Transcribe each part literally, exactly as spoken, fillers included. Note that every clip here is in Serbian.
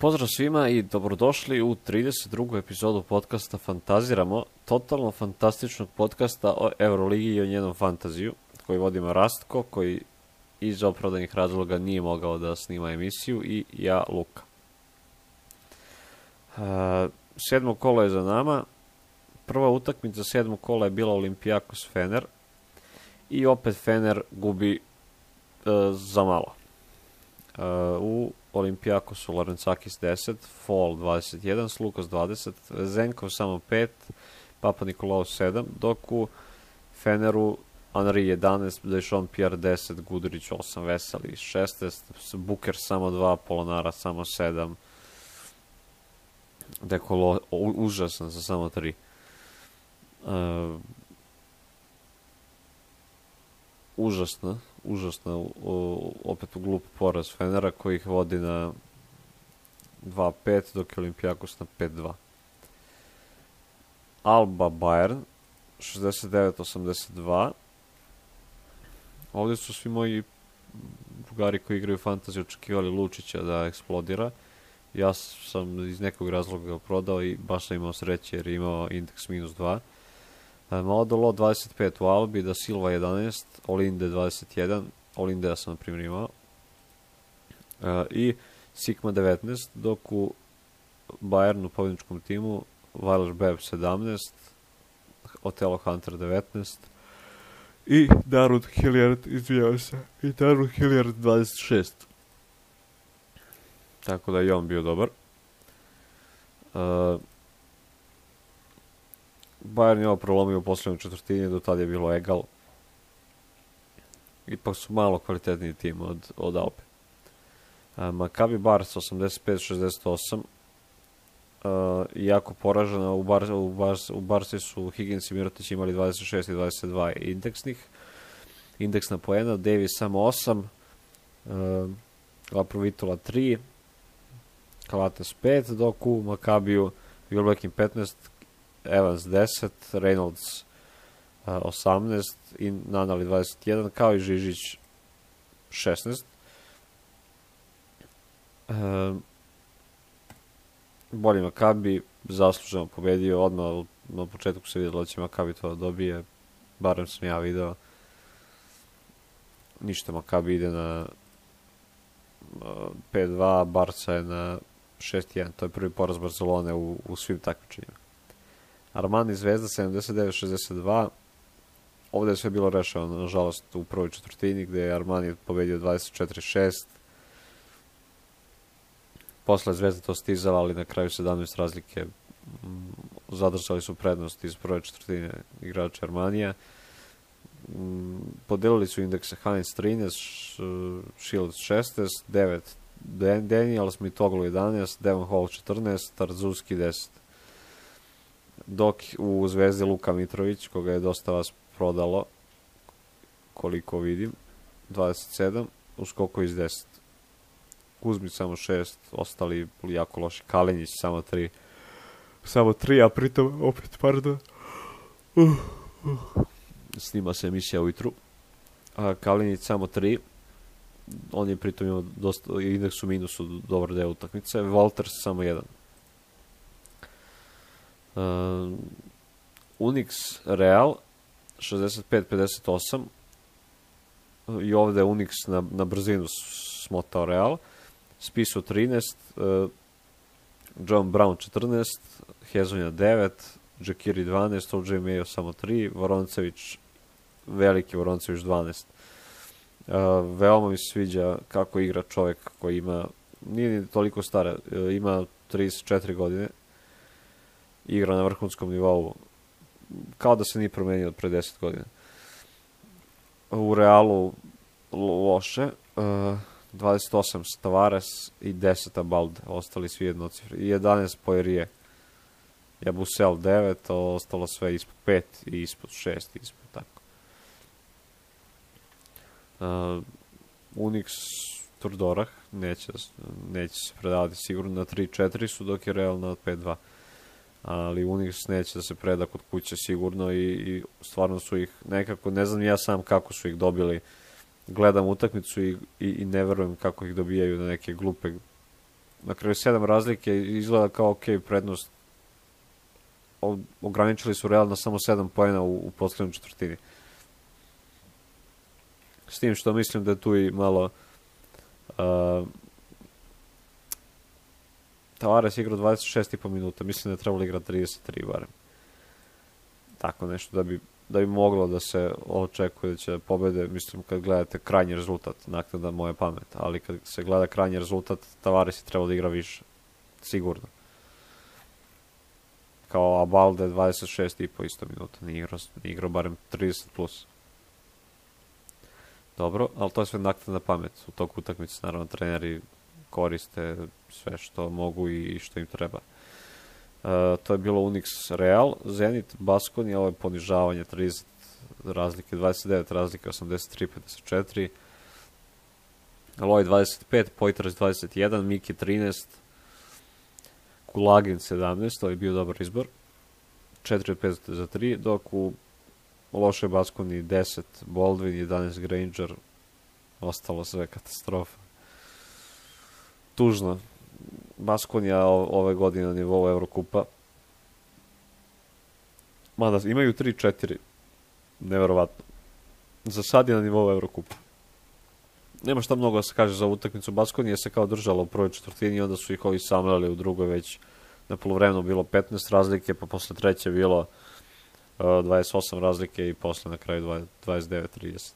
Pozdrav svima i dobrodošli u trideset drugu epizodu podcasta Fantaziramo, totalno fantastičnog podcasta o Euroligi i o njenom fantaziju, koji vodimo Rastko, koji iz opravdanih razloga nije mogao da snima emisiju, i ja, Luka. Uh, sedmo kolo je za nama. Prva utakmica sedmog kola je bila Olympiakos Fener i opet Fener gubi uh, za malo. Uh, u Olympiakosu Larentsakis deset, Fall dvadeset jedan, Slukas dvadeset, Zenkov samo pet, Papa Nikolaou sedam, dok u Feneru Henri jedanaest, Dejon Pierre deset, Gudurić osam, Veseli šesnaest, Buker samo dva, Polonara samo sedam, Dekolo užasan za samo tri. Uh, užasno, užasno, opet u glup poraz Fenera koji ih vodi na dva pet, dok je Olympiakos na pet dva. Alba Bayern šezdeset devet osamdeset dva. Ovdje su svi moji drugari koji igraju fantasy očekivali Lučića da eksplodira. Ja sam iz nekog razloga ga prodao i baš sam imao sreće jer je imao indeks minus dva. Maodolo dvadeset pet u Albi, Da Silva jedanaest, Olinde dvadeset jedan, Olinde ja sam na primjer imao, e, i Sigma devetnaest, dok u Bayernu pobjedničkom timu Weiler Beb sedamnaest, Otelo Hunter devetnaest i Darud Hilliard, izvijao se, i Darud Hilliard dvadeset šest. Tako da je on bio dobar. Uh, Bayern je ovo prolomio u posljednjoj četvrtini, do tada je bilo egal. Ipak su malo kvalitetniji tim od, od Alpe. Uh, Maccabi Bars osamdeset pet šezdeset osam. Uh, jako poražena, u, Bar, u, Bars, u Barsi su Higgins i Mirotić imali dvadeset šest i dvadeset dva indeksnih. Indeksna poena, Davis samo osam, uh, Laprovitola tri, Kalates pet, dok u Maccabiju Wilbekin petnaest, Evans deset, Reynolds uh, osamnaest i Nanali dvadeset jedan, kao i Žižić šesnaest. Uh, bolji Maccabi, zasluženo pobedio, odmah na početku se vidjelo da će Maccabi to dobije, barem sam ja video. Ništa, Maccabi ide na uh, pet dva, Barca je na šest jedan, to je prvi poraz Barcelone u, u svim takmičenjima. Armani Zvezda sedamdeset devet šezdeset dva. Ovdje je sve bilo rešeno, nažalost, u prvoj četvrtini, gdje je Armani pobedio dvadeset četiri šest. Posle Zvezda to stizala, ali na kraju sedamnaest razlike m, zadržali su prednost iz prve četvrtine igrača Armanija. M, podelili su indekse Heinz trinaest, Shields šesnaest, devet Daniels, Mitoglu jedanaest, Devon Hall četrnaest, Tarzuski deset. Dok u Zvezdi Luka Mitrović, koga je dosta vas prodalo, koliko vidim, dvadeset sedam, u skoku iz deset. Kuzmić samo šest, ostali jako loši. Kalinjić samo tri. Samo tri, a pritom, opet, pardon, uh, uh. snima se emisija ujutru. A Kalinjić samo tri. On je pritom imao dosta, indeks u minusu, dobar deo utakmice. Walters samo jedan. Uh, Unix Real šezdeset pet pedeset osam, i ovdje Unix na, na brzinu smotao Real. Spisu trinaest, uh, John Brown četrnaest, Hezonja devet, Džekiri dvanaest, O J Mayo samo tri, Voroncević, veliki Voroncević dvanaest. Uh, veoma mi se sviđa kako igra čovjek koji ima, nije ni toliko stara, uh, ima trideset četiri godine, igra na vrhunskom nivou, kao da se nije promenio od pre deset godina. U Realu loše, uh, dvadeset osam Tavares i deset Abalde, ostali svi jednocifri, i jedanaest Poirier. Jabusel devet, ostalo sve ispod pet i ispod šest, ispod tako. Uh, Unix Turdorah neće, neće se predavati sigurno, na tri četiri su, dok je Real na pet dva. Ali Unix neće da se preda kod kuće sigurno, i, i stvarno su ih nekako, ne znam ja sam kako su ih dobili, gledam utakmicu i, i, i ne verujem kako ih dobijaju na neke glupe na kraju sedam razlike, izgleda kao ok prednost. O, ograničili su Real na samo sedam poena u, u posljednjoj četvrtini. S tim što mislim da je tu i malo uh, Tavares igrao dvadeset šest i po minuta, mislim da je trebalo igrati trideset tri barem. Tako nešto da bi, da bi moglo da se očekuje da će pobede, mislim kad gledate krajnji rezultat, naknada moje pamet, ali kad se gleda krajnji rezultat, Tavares je trebalo da igra više, sigurno. Kao Abalde dvadeset šest i po isto minuta, nije igrao, nije igrao barem trideset plus. Dobro, ali to je sve naknadna pamet. U toku utakmice, naravno, treneri koriste sve što mogu i što im treba. Uh, to je bilo Unix Real, Zenit, Baskonia, ovo je ponižavanje, trideset razlike, dvadeset devet razlike, osamdeset tri pedeset četiri. Loj dvadeset pet, Poitras dvadeset jedan, Miki trinaest, Kulagin sedamnaest, to je bio dobar izbor. četiri od pet za tri, dok u lošoj Baskoniji deset, Baldwin, jedanaest Granger, ostalo sve katastrofa. Tužno. Baskonija ove godine na nivou Evrokupa. Mada imaju tri četiri. Neverovatno. Za sad je na nivou Evrokupa. Nema šta mnogo da se kaže za utakmicu. Baskonija se kao držala u prvoj četvrtini i onda su ih ovi samljali u drugoj već. Na poluvremenu bilo petnaest razlike, pa posle treće bilo uh, dvadeset osam razlike i posle na kraju dvadeset devet trideset.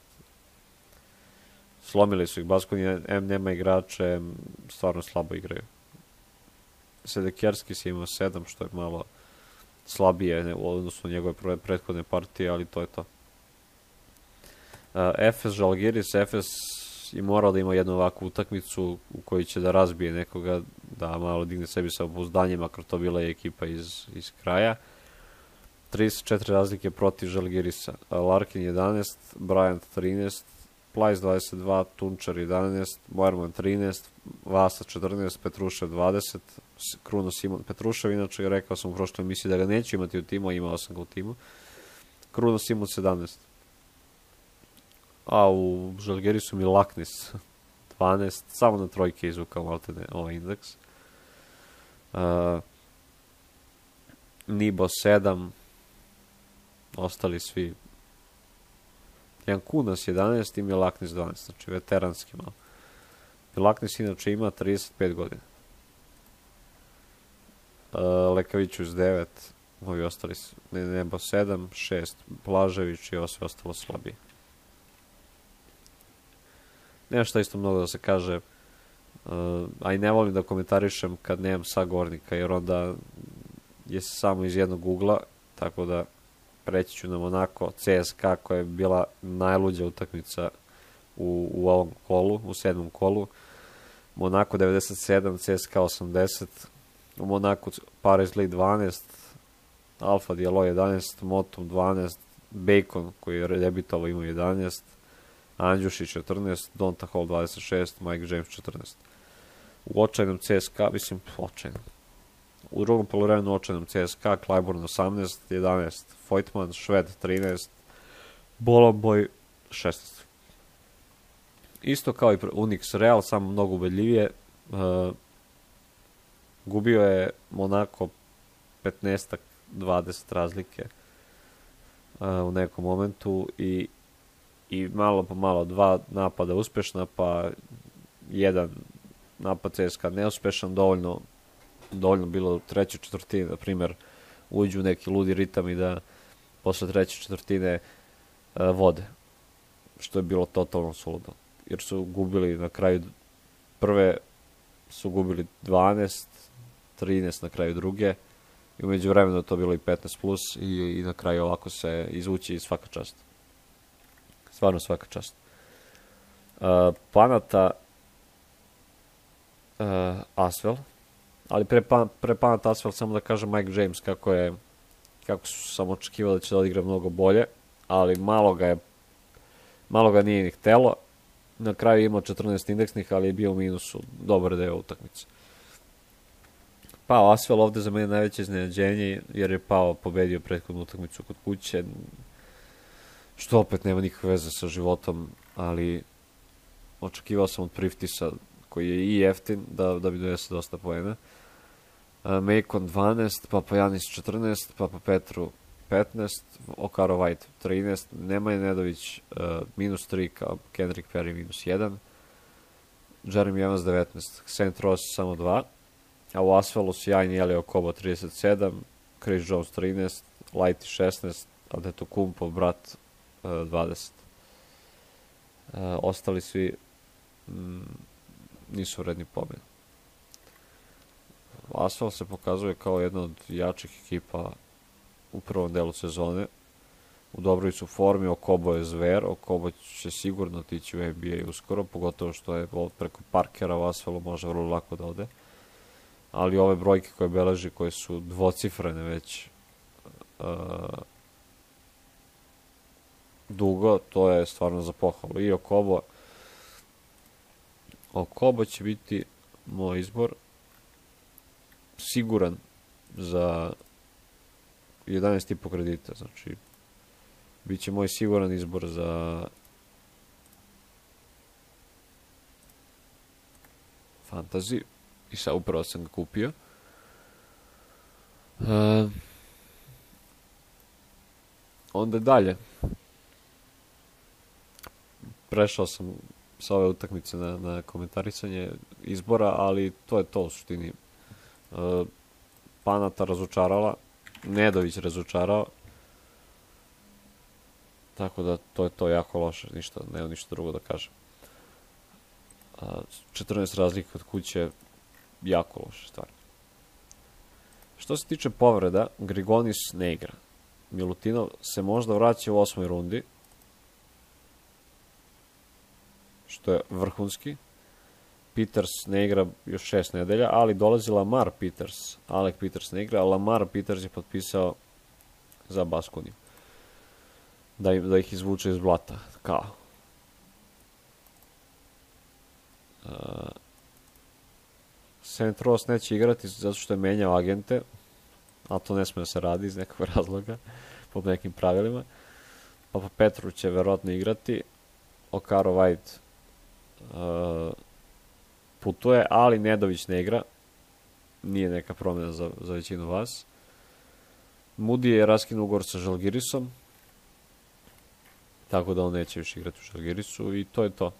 Slomili su ih Baskonija, em nema igrače, em stvarno slabo igraju. Sedekerski si imao sedam, što je malo slabije u odnosu na njegove prethodne partije, ali to je to. Uh, Efes, Žalgiris, Efes je morao da ima jednu ovakvu utakmicu u kojoj će da razbije nekoga, da malo digne sebi sa obuzdanje, makar to bila je ekipa iz, iz kraja. trideset četiri razlike protiv Žalgirisa. Larkin jedanaest, Bryant trinaest, Plajs dvadeset dva, Tunčar jedanaest, Moerman trinaest, Vasa četrnaest, Petrušev dvadeset, Kruno Simon. Petrušev, inače, rekao sam u prošloj emisiji da ga neću imati u timu, a imao sam ga u timu. Kruno Simon sedamnaest. A u Žalgirisu mi Laknis dvanaest, samo na trojke izvukao maltene ovaj indeks. Uh, Nibo sedam, ostali svi. Jankunas jedanaest i Milaknis dvanaest, znači veteranski malo. Milaknis inače ima trideset pet godina. Uh, Lekavićus devet, ovi ostali su, Nebo sedam, šest, Blažević i ovo sve ostalo slabije. Nema šta isto mnogo da se kaže, uh, a i ne volim da komentarišem kad nemam sagovornika, jer onda je samo iz jednog ugla, tako da preći ću na Monako, C S K A koja je bila najluđa utakmica u, u ovom kolu, u sedmom kolu. Monako devedeset sedam, C S K A osamdeset, u Monaku Paris Lee dvanaest, Alfa Diallo jedanaest, Motum dvanaest, Bacon koji je debitovao ima jedanaest, Andjušić četrnaest, Donta Hall dvadeset šest, Mike James četrnaest. U očajnom C S K A, mislim, očajnom. U drugom poluvremenu očajnom C S K A, Clyburn osamnaest, jedanaest, Voigtman, Šved trinaest, Boloboj šesnaest. Isto kao i Unix Real, samo mnogo ubedljivije. Uh, gubio je Monako petnaest dvadeset razlike uh, u nekom momentu i i malo po malo dva napada uspešna, pa jedan napad C S K A neuspešan, dovoljno, dovoljno bilo u trećoj četvrtini, na primjer, uđu u neki ludi ritam i da posle treće četvrtine uh, vode, što je bilo totalno suludo, jer su gubili na kraju prve, su gubili dvanaest, trinaest na kraju druge, i umeđu vremenu to bilo i petnaest plus, i, i na kraju ovako se izvući svaka čast. Stvarno svaka čast. Uh, Panata uh, Asvel, ali pre, pan, pre Panata Asvel samo da kažem Mike James kako je, kako su sam očekivao da će da odigra mnogo bolje, ali malo ga je, malo ga nije ni htelo. Na kraju je imao četrnaest indeksnih, ali je bio u minusu dobar deo utakmice. Pao Asvel ovde za mene najveće iznenađenje, jer je Pao pobedio prethodnu utakmicu kod kuće, što opet nema nikakve veze sa životom, ali očekivao sam od Priftisa koji je i jeftin da, da bi donese dosta poena. Macon dvanaest, Papajanis četrnaest, Papa Petru petnaest, Okaro White trinaest, Nemanja Nedović uh, minus tri, kao Kendrick Perry minus jedan, Jeremy Evans devetnaest, Saint Ross samo dva, a u Asfalu sjajni Elio Kobo trideset sedam, Chris Jones trinaest, Lighty šesnaest, Antetokounmpo brat uh, dvadeset. Uh, ostali svi mm, nisu vredni pobjede. Asfal se pokazuje kao jedna od jačih ekipa u prvom delu sezone. U dobroj su formi, Okobo je zver, Okobo će sigurno otići u N B A uskoro, pogotovo što je preko Parkera u Asfalu može vrlo lako da ode. Ali ove brojke koje beleži, koje su dvocifrene već uh, dugo, to je stvarno za pohvalu. I Okobo, Okobo će biti moj izbor siguran za jedanaest i po kredita, znači bit će moj siguran izbor za fantasy i sad upravo sam ga kupio. Uh, onda dalje prešao sam sa ove utakmice na, na komentarisanje izbora, ali to je to u suštini. Uh, Panata razočarala, Nedović razočarao, tako da to je to jako loše, ništa, nema ništa drugo da kažem. Uh, četrnaest razlika od kuće, jako loše stvarno. Što se tiče povreda, Grigonis ne igra. Milutinov se možda vraća u osmoj rundi, što je vrhunski. Peters ne igra još šest nedelja, ali dolazi Lamar Peters. Alec Peters ne igra, a Lamar Peters je potpisao za Baskoniju. Da, da ih izvuče iz blata. Kao. Uh, Saint Ross neće igrati zato što je menjao agente, a to ne smije da se radi iz nekog razloga, po nekim pravilima. Papa Petru će verovatno igrati. Okaro White uh, putuje, ali Nedović ne igra. Nije neka promjena za, za većinu vas. Moody je raskinuo ugovor sa Žalgirisom, tako da on neće više igrati u Žalgirisu i to je to.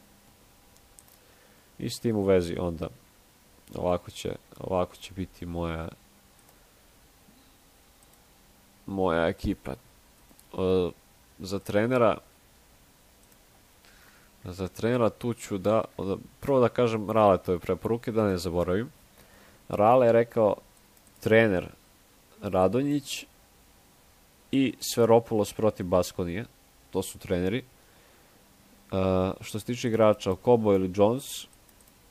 I s tim u vezi onda ovako će, ovako će biti moja moja ekipa. E, za trenera za trenera tu ću da, da prvo da kažem Raletove preporuke, da ne zaboravim. Rale je rekao trener Radonjić i Sferopulos protiv Baskonije. To su treneri. Uh, što se tiče igrača, Okobo ili Jones,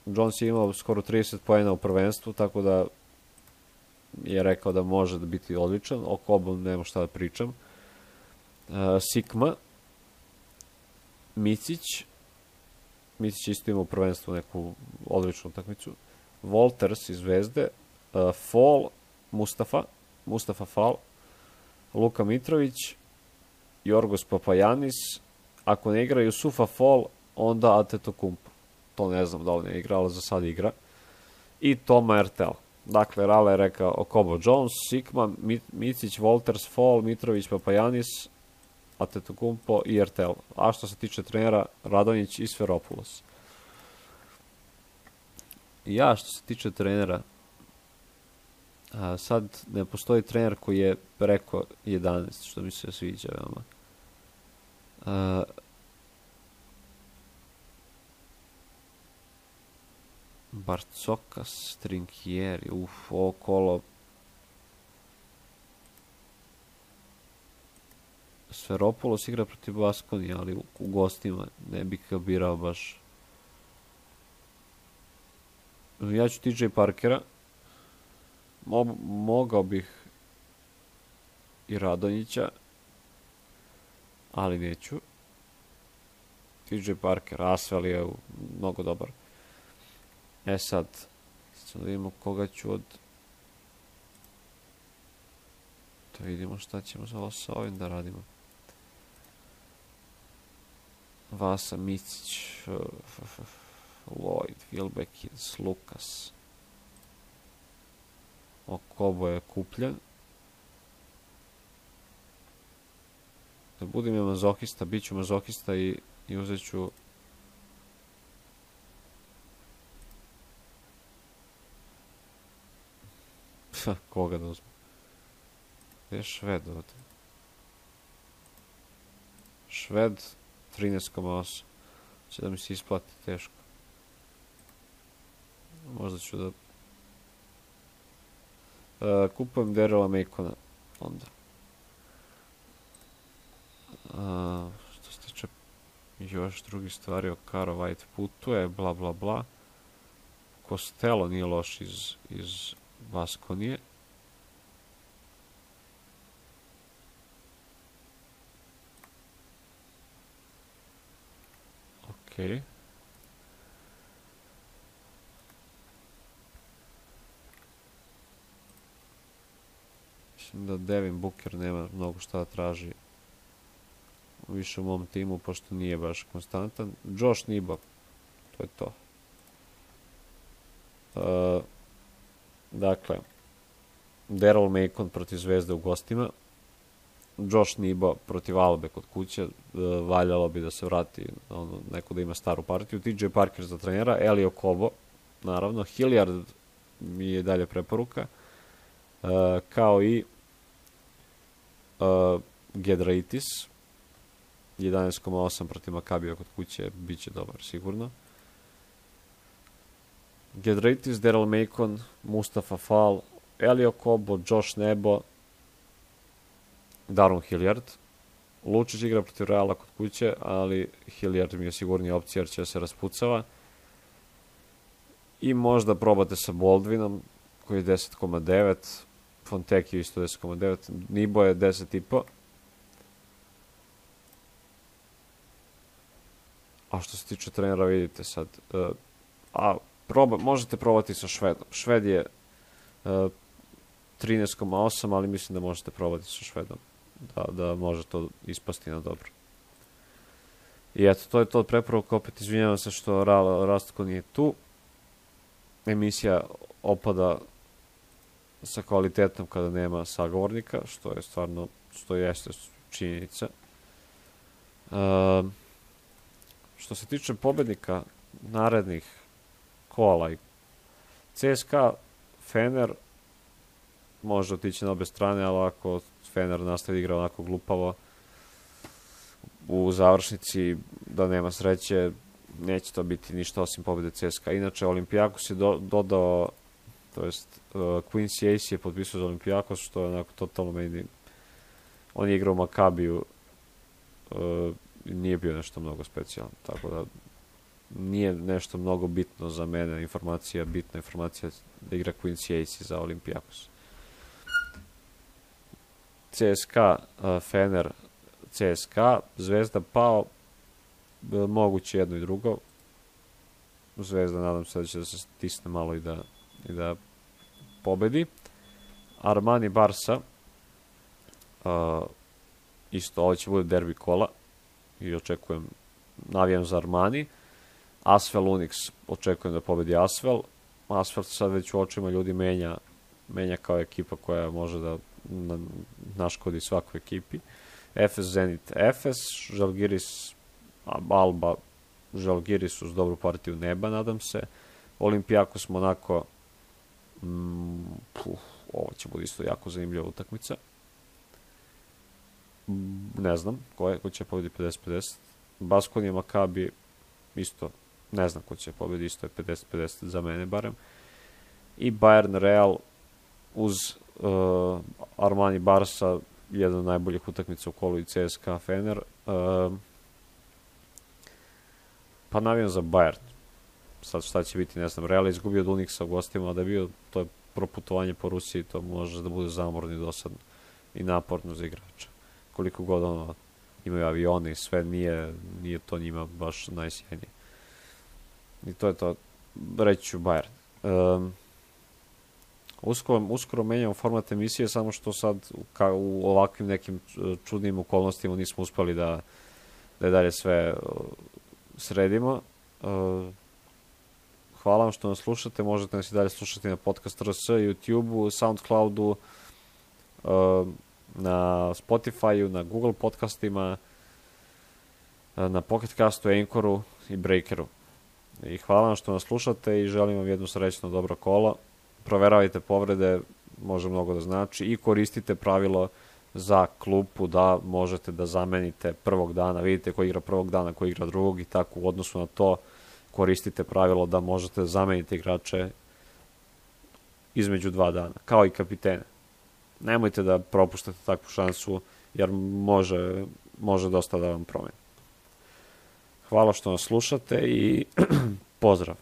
Jones je imao skoro trideset poena u prvenstvu, tako da je rekao da može da biti odličan. Okobo nema šta da pričam. Uh, Sikma, Micić, Micić isto ima u prvenstvu neku odličnu utakmicu. Walters iz Zvezde, uh, Fall, Mustafa, Mustafa Fall, Luka Mitrović, Jorgos Papajanis, ako ne igra Jusufa Fall, onda Antetokounmpo. To ne znam da li ne igra, ali za sad igra. I Toma Ertel. Dakle, Rale je rekao Okobo Jones, Sikma, Micić, Walters, Fall, Mitrović, Papajanis, Antetokounmpo i Ertel. A što se tiče trenera, Radonjić i Sferopulos. Ja, što se tiče trenera, a, sad ne postoji trener koji je preko jedanaest, što mi se sviđa veoma. A, Barcokas, Trinkieri, uf, ovo kolo. Sferopulos igra protiv Baskonije, ali u, u gostima ne bih ga birao baš. Ja ću T J Parkera. Mo, mogao bih i Radonjića, ali neću. T J Parker, Asvel je mnogo dobar. E sad, sad da vidimo koga ću od... Da vidimo šta ćemo za ovo sa ovim da radimo. Vasa Micić. Lloyd, Wilbeckins, Lucas. Okobo je kupljen. Da budem ja mazohista, bit ću mazohista i, i uzet ću koga da uzmem? Gdje je Šved ovdje? Šved trinaest zarez osam. Će da mi se isplati teško. Možda ću da... Uh, kupujem Darrella Macona onda. Uh, što se tiče još drugih stvari, Okaro White putuje, bla bla bla. Costello nije loš iz, iz Baskonije. Okej. Okay. Mislim da Devin Booker nema mnogo šta da traži više u mom timu, pošto nije baš konstantan. Josh Niba, to je to. Uh, dakle, Darrell Macon protiv Zvezde u gostima, Josh Niba protiv Albe kod kuće, uh, valjalo bi da se vrati, ono, neko da ima staru partiju. T J Parker za trenera, Eli Okobo, naravno, Hilliard mi je dalje preporuka, uh, kao i uh, Giedraitis, jedanaest zarez osam protiv Makabija kod kuće, bit će dobar, sigurno. Giedraitis, Darrell Macon, Mustafa Fall, Eli Okobo, Josh Nebo, Daron Hilliard. Lučić igra protiv Reala kod kuće, ali Hilliard mi je sigurnija opcija jer će se raspucava. I možda probate sa Baldwinom, koji je deset zarez devet, Fonteki isto deset zarez devet, Nibo je deset zarez pet. A što se tiče trenera, vidite sad. Uh, a proba, možete probati sa Švedom. Šved je uh, trinaest zarez osam, ali mislim da možete probati sa Švedom. Da, da može to ispasti na dobro. I eto, to je to od preporuka. Opet izvinjavam se što Ra Rastko nije tu. Emisija opada sa kvalitetom kada nema sagovornika, što je stvarno, što jeste činjenica. Uh, što se tiče pobednika narednih kola, C S K A, Fener, može otići na obe strane, ali ako Fener nastavi igra onako glupavo u završnici, da nema sreće, neće to biti ništa osim pobjede C S K A. Inače, Olympiakos je do, dodao, to jest uh, Quincy Ace je potpisao za Olympiakos, što je onako totalno meni, on je igrao u Makabiju, uh, nije bio nešto mnogo specijalno, tako da nije nešto mnogo bitno za mene, informacija, bitna informacija da igra Quincy Ace za Olympiakos. C S K A, uh, Fener, C S K A, Zvezda pao, moguće jedno i drugo. Zvezda, nadam se da će da se stisne malo i da, i da pobedi. Armani Barsa, uh, isto, ovo će bude derbi kola i očekujem, navijam za Armani. Asvel Unix, očekujem da pobedi Asvel. Asvel sad već u očima ljudi menja, menja kao ekipa koja može da na, naškodi svakoj ekipi. Efes Zenit Efes, Žalgiris Alba, Žalgiris uz dobru partiju neba, nadam se. Olympiakos Monako, mm, puf, ovo će biti isto jako zanimljiva utakmica. Ne znam ko, je, ko će pobedi pedeset pedeset. Baskonija Makabi, isto, ne znam ko će pobedi, isto je pedeset pedeset za mene barem. I Bayern Real uz uh, Armani Barsa, jedna od najboljih utakmica u kolu i C S K A Fener. Uh, pa navijam za Bayern. Sad šta će biti, ne znam. Real je izgubio od Unixa u gostima, a da je bio, to je proputovanje po Rusiji, to može da bude zamorno i dosadno i naporno za igrača. Koliko god ono, imaju avione i sve, nije, nije to njima baš najsjajnije. I to je to, reći ću Bayern. Um, uskoro, uskoro menjamo format emisije, samo što sad ka, u ovakvim nekim čudnim okolnostima nismo uspeli da, da je dalje sve uh, sredimo. Uh, hvala vam što nas slušate, možete nas i dalje slušati na Podcast R S, YouTube-u, Soundcloudu, na Spotify-u, na Google podcastima, na Pocket Castu, Anchoru i Breakeru. I hvala vam što nas slušate i želim vam jedno srećno dobro kolo. Proveravajte povrede, može mnogo da znači, i koristite pravilo za klupu da možete da zamenite prvog dana, vidite ko igra prvog dana, ko igra drugog i tako u odnosu na to koristite pravilo da možete da zamenite igrače između dva dana, kao i kapitene. Nemojte da propuštate takvu šansu, jer može, može dosta da vam promeni. Hvala što nas slušate i pozdrav!